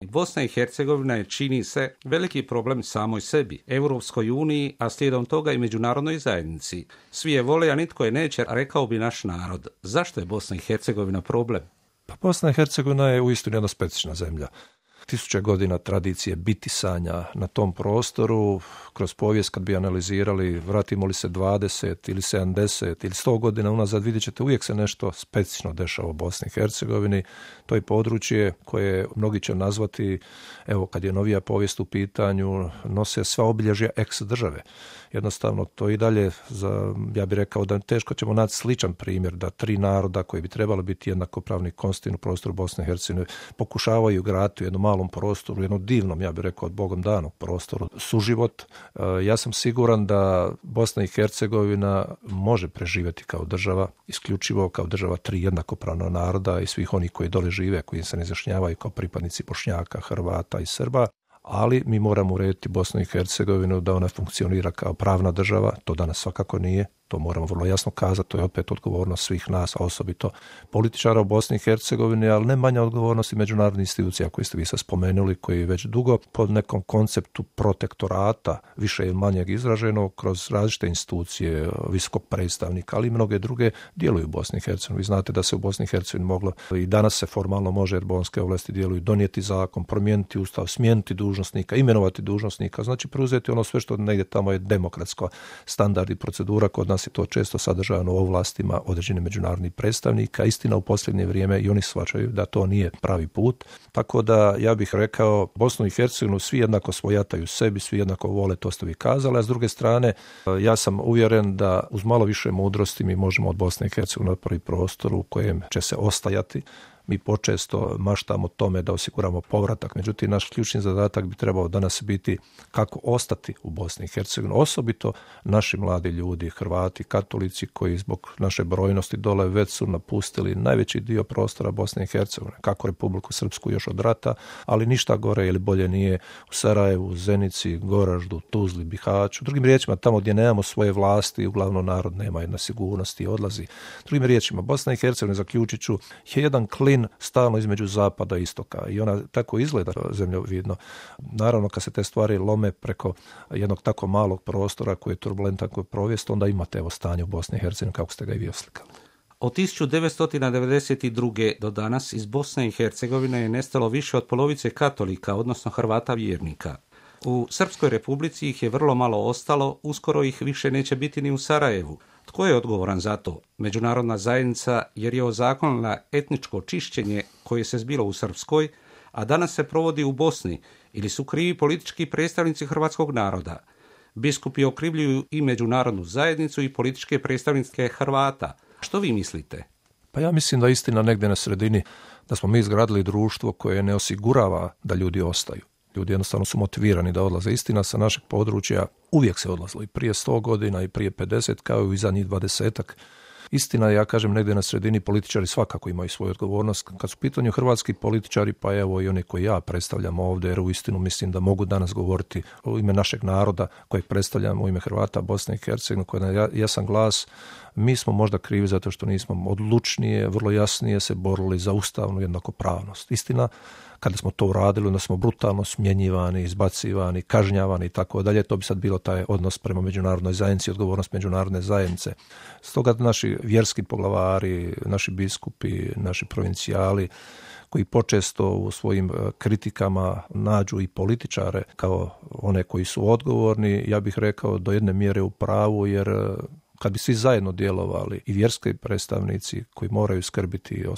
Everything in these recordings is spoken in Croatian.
Bosna i Hercegovina je, čini se, veliki problem samoj sebi, Europskoj uniji, a slijedom toga i međunarodnoj zajednici. Svi je vole, a nitko je neće, rekao bi naš narod. Zašto je Bosna i Hercegovina problem? Pa Bosna i Hercegovina je uistinu jedna specifična zemlja. 1000 godina tradicije bitisanja na tom prostoru, kroz povijest kad bi analizirali, vratimo li se 20 ili 70 ili 100 godina unazad, vidjet ćete uvijek se nešto specifično dešava u Bosni i Hercegovini. To je područje koje mnogi će nazvati, evo kad je novija povijest u pitanju, nose sva obilježja ex države. Jednostavno to i dalje, ja bih rekao da teško ćemo naći sličan primjer da 3 naroda koji bi trebali biti jednakopravni konstitutivni u prostoru Bosne i Hercegovine pokušavaju graditi u jednom malom prostoru, u jednom divnom, ja bih rekao, od Bogom danog prostoru suživot. Ja sam siguran da Bosna i Hercegovina može preživjeti kao država, isključivo kao država 3 jednakopravna naroda i svih onih koji dole žive, koji se ne izjašnjavaju kao pripadnici Bošnjaka, Hrvata i Srba. Ali mi moramo urediti Bosnu i Hercegovinu da ona funkcionira kao pravna država, to danas svakako nije, to moramo vrlo jasno kazati, to je opet odgovornost svih nas, a osobito političara u Bosni i Hercegovini, ali ne manja odgovornost i međunarodnih institucija koje ste vi sad spomenuli, koji već dugo pod nekom konceptu protektorata, više ili manjeg izraženo, kroz različite institucije visokog predstavnika, ali i mnoge druge djeluju u Bosni i Hercegovini. Vi znate da se u Bosni i Hercegovini moglo, i danas se formalno može, jer bonske ovlasti djeluju, donijeti zakon, promijeniti ustav, smijeniti dužnosnika, imenovati dužnosnika, znači preuzeti ono sve što negdje tamo je demokratsko standard i procedura. Kod nas je to često sadržano u ovlastima određenih međunarodnih predstavnika. Istina, u posljednje vrijeme i oni shvaćaju da to nije pravi put. Tako da ja bih rekao, Bosnu i Hercegovinu svi jednako svojataju sebi, svi jednako vole, to ste vi kazali, a s druge strane ja sam uvjeren da uz malo više mudrosti mi možemo od Bosne i Hercegovine napraviti prostor u kojem će se ostajati. Mi počesto maštamo tome da osiguramo povratak, međutim naš ključni zadatak bi trebao danas biti kako ostati u Bosni i Hercegovini, osobito naši mladi ljudi, Hrvati, katolici koji zbog naše brojnosti dole već su napustili najveći dio prostora Bosne i Hercegovine, kako Republiku Srpsku još od rata, ali ništa gore ili bolje nije u Sarajevu, Zenici, Goraždu, Tuzli, Bihaću. Drugim riječima, tamo gdje nemamo svoje vlasti, uglavnom narod nema jedne sigurnosti i odlazi. Drugim riječima, Bosna i Hercegovina, zaključit ću, je jedan klin stalno između zapada i istoka i ona tako izgleda zemljovidno. Naravno, kad se te stvari lome preko jednog tako malog prostora koji je turbulentan koji provijest, onda imate evo stanje u Bosni i Hercegovini kako ste ga i vi oslikali. Od 1992. do danas iz Bosne i Hercegovine je nestalo više od polovice katolika, odnosno Hrvata vjernika. U Srpskoj Republici ih je vrlo malo ostalo, uskoro ih više neće biti ni u Sarajevu. Tko je odgovoran za to? Međunarodna zajednica, jer je ozakonila etničko čišćenje koje se zbilo u Srpskoj, a danas se provodi u Bosni, ili su krivi politički predstavnici hrvatskog naroda? Biskupi okrivljuju i međunarodnu zajednicu i političke predstavnike Hrvata. Što vi mislite? Pa ja mislim da istina negdje na sredini, da smo mi izgradili društvo koje ne osigurava da ljudi ostaju. Ljudi jednostavno su motivirani da odlaze. Istina, sa našeg područja uvijek se odlazilo i prije 100 godina i prije 50, kao i za njih 20-ak. Istina, ja kažem, negdje na sredini političari svakako imaju svoju odgovornost. Kad su u pitanju hrvatski političari, pa evo i oni koji ja predstavljam ovdje, jer uistinu mislim da mogu danas govoriti u ime našeg naroda kojeg predstavljam, u ime Hrvata Bosne i Hercegovine, koji je jasan glas. Mi smo možda krivi zato što nismo odlučnije, vrlo jasnije se borili za ustavnu jednakopravnost. Istina, kada smo to uradili, onda smo brutalno smjenjivani, izbacivani, kažnjavani i tako dalje. To bi sad bilo taj odnos prema međunarodnoj zajednici, odgovornost međunarodne zajednice. Stoga naši vjerski poglavari, naši biskupi, naši provincijali, koji počesto u svojim kritikama nađu i političare kao one koji su odgovorni, ja bih rekao do jedne mjere u pravu, jer kad bi svi zajedno djelovali, i vjerski predstavnici koji moraju skrbiti o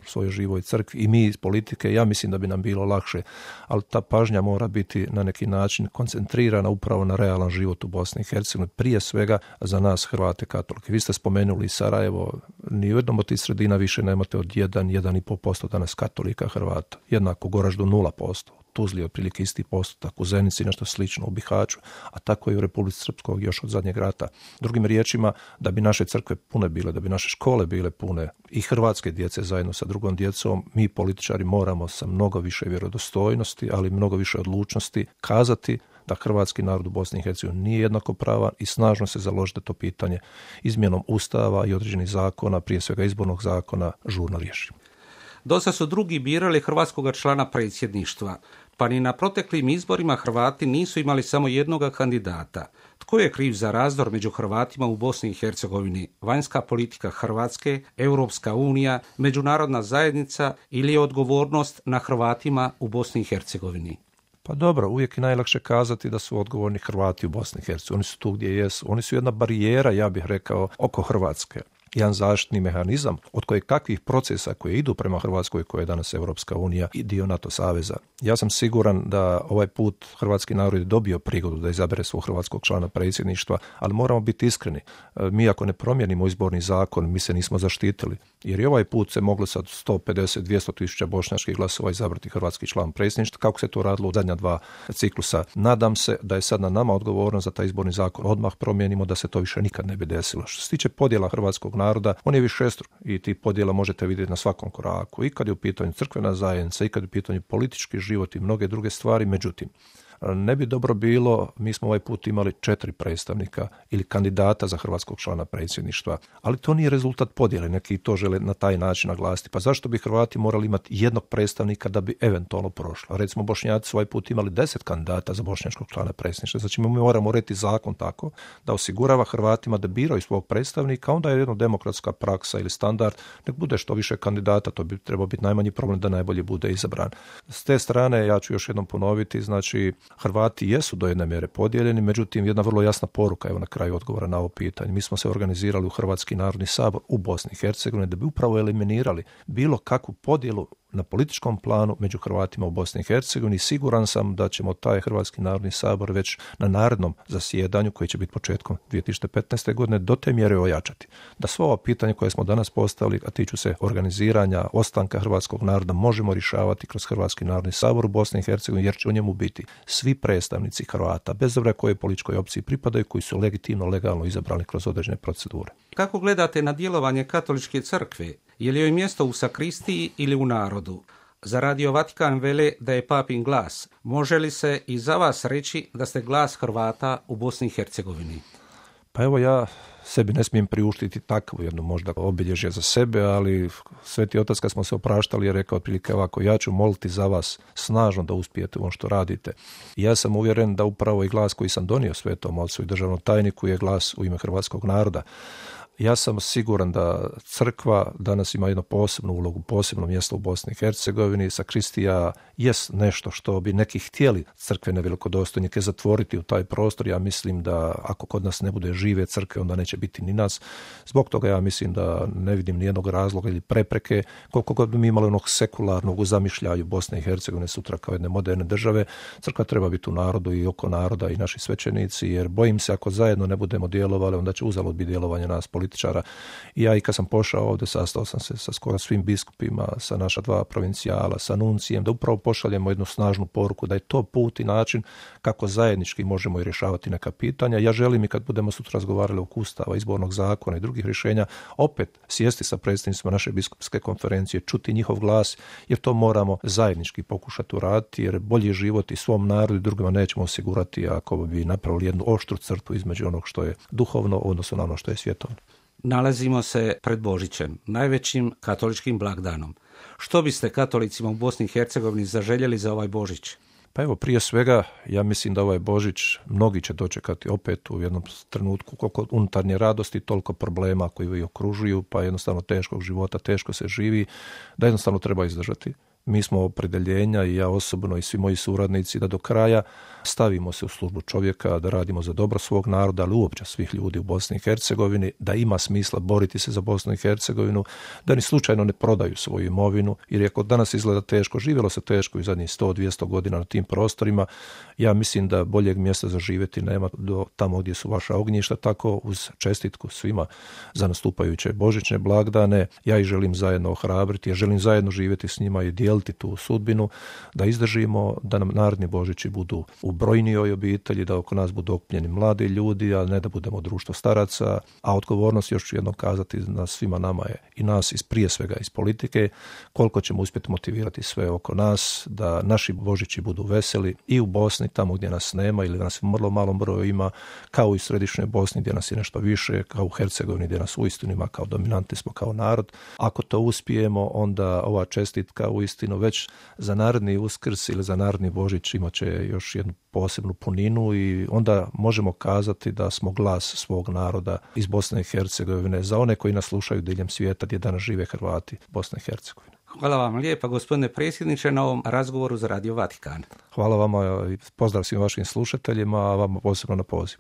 svojoj živoj crkvi i mi iz politike, ja mislim da bi nam bilo lakše, ali ta pažnja mora biti na neki način koncentrirana upravo na realan život u Bosni i Hercegovini, prije svega za nas Hrvate katolike. Vi ste spomenuli Sarajevo, ni u jednom od tih sredina više nemate od 1,5% danas katolika Hrvata, jednako Goraždu 0%. Tuzli otprilike isti postotak, u Zenici nešto slično, u Bihaću, a tako i u Republici Srpskoj još od zadnjeg rata. Drugim riječima, da bi naše crkve pune bile, da bi naše škole bile pune i hrvatske djece zajedno sa drugom djecom, mi političari moramo sa mnogo više vjerodostojnosti, ali mnogo više odlučnosti kazati da hrvatski narod u Bosni i Hercegovini nije jednakopravan i snažno se založiti to pitanje izmjenom ustava i određenih zakona, prije svega izbornog zakona, žurno riješi. Dosta su drugi birali hrvatskog člana predsjedništva, pa ni na proteklim izborima Hrvati nisu imali samo jednoga kandidata. Tko je kriv za razdor među Hrvatima u Bosni i Hercegovini? Vanjska politika Hrvatske, Europska unija, međunarodna zajednica ili je odgovornost na Hrvatima u Bosni i Hercegovini? Pa dobro, uvijek je najlakše kazati da su odgovorni Hrvati u Bosni i Hercegovini. Oni su tu gdje jesu. Oni su jedna barijera, ja bih rekao, oko Hrvatske. Jedan zaštitni mehanizam od kojeg kakvih procesa koje idu prema Hrvatskoj, koja je danas Europska unija i dio NATO saveza. Ja sam siguran da ovaj put hrvatski narod je dobio prigodu da izabere svog hrvatskog člana predsjedništva, ali moramo biti iskreni. Mi ako ne promijenimo izborni zakon, mi se nismo zaštitili. Jer i ovaj put se moglo sad 150-200 tisuća bošnjačkih glasova izabrati hrvatski član predsjedništva, kako se to radilo u zadnja 2 ciklusa. Nadam se da je sad na nama odgovornost za taj izborni zakon. Odmah promijenimo da se to više nikad ne bi desilo. Što se tiče podjela hrvatskog naroda, on je višestruk i ti podjela možete vidjeti na svakom koraku. I kad je u pitanju crkvena zajednica, i kad je u pitanju politički život i mnoge druge stvari. Međutim, ne bi dobro bilo, mi smo ovaj put imali 4 predstavnika ili kandidata za hrvatskog člana predsjedništva, ali to nije rezultat podjele, neki to žele na taj način naglasiti. Pa zašto bi Hrvati morali imati jednog predstavnika da bi eventualno prošlo? Recimo, Bošnjaci su ovaj put imali 10 kandidata za bošnjačkog člana predsjedništva. Znači, mi moramo urediti zakon tako da osigurava Hrvatima da biraju svog predstavnika, onda je jedna demokratska praksa ili standard, nek bude što više kandidata, to bi trebao biti najmanji problem da najbolje bude izabran. S te strane, ja ću još jednom ponoviti, znači, Hrvati jesu do jedne mjere podijeljeni, međutim jedna vrlo jasna poruka, evo na kraju odgovora na ovo pitanje. Mi smo se organizirali u Hrvatski narodni sabor u Bosni i Hercegovini da bi upravo eliminirali bilo kakvu podjelu na političkom planu među Hrvatima u Bosni i Hercegovini. Siguran sam da ćemo taj Hrvatski narodni sabor već na narednom zasjedanju, koji će biti početkom 2015. godine, do te mjere ojačati. Da sva ova pitanja koje smo danas postavili, a tiču se organiziranja, ostanka hrvatskog naroda, možemo rješavati kroz Hrvatski narodni sabor u Bosni i Hercegovini, jer će u njemu biti svi predstavnici Hrvata, bez obzira kojoj političkoj opciji pripadaju, koji su legitimno, legalno izabrani kroz određene procedure. Kako gledate na djelovanje katoličke crkve? Je li joj mjesto u sakristiji ili u narodu? Za Radio Vatikan vele da je papin glas. Može li se i za vas reći da ste glas Hrvata u Bosni i Hercegovini? Pa evo, ja sebi ne smijem priuštiti takvu jednu možda obilježje za sebe, ali Sveti Otac kad smo se opraštali je rekao otprilike ovako: ja ću moliti za vas snažno da uspijete u ono što radite. I ja sam uvjeren da upravo i glas koji sam donio Svetom Ocu i državnom tajniku je glas u ime hrvatskog naroda. Ja sam siguran da crkva danas ima jednu posebnu ulogu, posebno mjesto u Bosni i Hercegovini. Sakristija jest nešto što bi neki htjeli crkvene velikodostojnike zatvoriti u taj prostor. Ja mislim da ako kod nas ne bude žive crkve, onda neće biti ni nas. Zbog toga ja mislim da ne vidim nijednog razloga ili prepreke, koliko god bi mi imali onog sekularnog u zamišljaju Bosne i Hercegovine sutra kao jedne moderne države. Crkva treba biti u narodu i oko naroda i naši svećenici, jer bojim se ako zajedno ne budemo djelovali, onda će uzalud biti djelovanje nas političara. I ja i kad sam pošao ovdje, sastao sam se sa skoro svim biskupima, sa naša 2 provincijala, sa nuncijem, da upravo pošaljemo jednu snažnu poruku da je to put i način kako zajednički možemo i rješavati neka pitanja. Ja želim i kad budemo sutra razgovarali oko Ustava, izbornog zakona i drugih rješenja, opet sjesti sa predstavnicima naše biskupske konferencije, čuti njihov glas, jer to moramo zajednički pokušati uraditi, jer bolji život i svom narodu i drugima nećemo osigurati ako bi napravili jednu oštru crtu između onog što je duhovno, odnosno na ono što je svjetovno. Nalazimo se pred Božićem, najvećim katoličkim blagdanom. Što biste katolicima u Bosni i Hercegovini zaželjeli za ovaj Božić? Pa evo, prije svega, ja mislim da ovaj Božić mnogi će dočekati opet u jednom trenutku koliko unutarnje radosti, toliko problema koji ih okružuju, pa jednostavno teškog života, teško se živi, da jednostavno treba izdržati. Mi smo opredjeljenja, i ja osobno i svi moji suradnici, da do kraja stavimo se u službu čovjeka, da radimo za dobro svog naroda, ali uopće svih ljudi u Bosni i Hercegovini, da ima smisla boriti se za Bosnu i Hercegovinu, da ni slučajno ne prodaju svoju imovinu, jer ako danas izgleda teško, živjelo se teško i zadnjih 100-200 godina na tim prostorima, ja mislim da boljeg mjesta za živjeti nema do tamo gdje su vaša ognjišta. Tako uz čestitku svima za nastupajuće božićne blagdane, ja ih želim zajedno ohrabriti, ja želim zajedno živjeti s njima i dijeliti podijeliti tu sudbinu, da izdržimo, da nam narodni Božići budu u brojnijoj obitelji, da oko nas budu okupljeni mladi ljudi, a ne da budemo društvo staraca, a odgovornost, još ću jednom kazati, na svima nama je i nas prije svega iz politike, koliko ćemo uspjeti motivirati sve oko nas, da naši Božići budu veseli i u Bosni, tamo gdje nas nema ili nas u vrlo malom broju ima, kao i u središnjoj Bosni gdje nas je nešto više, kao u Hercegovini gdje nas uistinu ima, kao dominantni smo kao narod. Ako to uspijemo, onda ova čestitka uistinu već za narodni Uskrs ili za narodni Božić imat će još jednu posebnu puninu i onda možemo kazati da smo glas svog naroda iz Bosne i Hercegovine za one koji nas slušaju diljem svijeta gdje danas žive Hrvati Bosne i Hercegovine. Hvala vam lijepa, gospodine predsjedniče, na ovom razgovoru za Radio Vatikan. Hvala vama i pozdrav svim vašim slušateljima, a vama posebno na pozivu.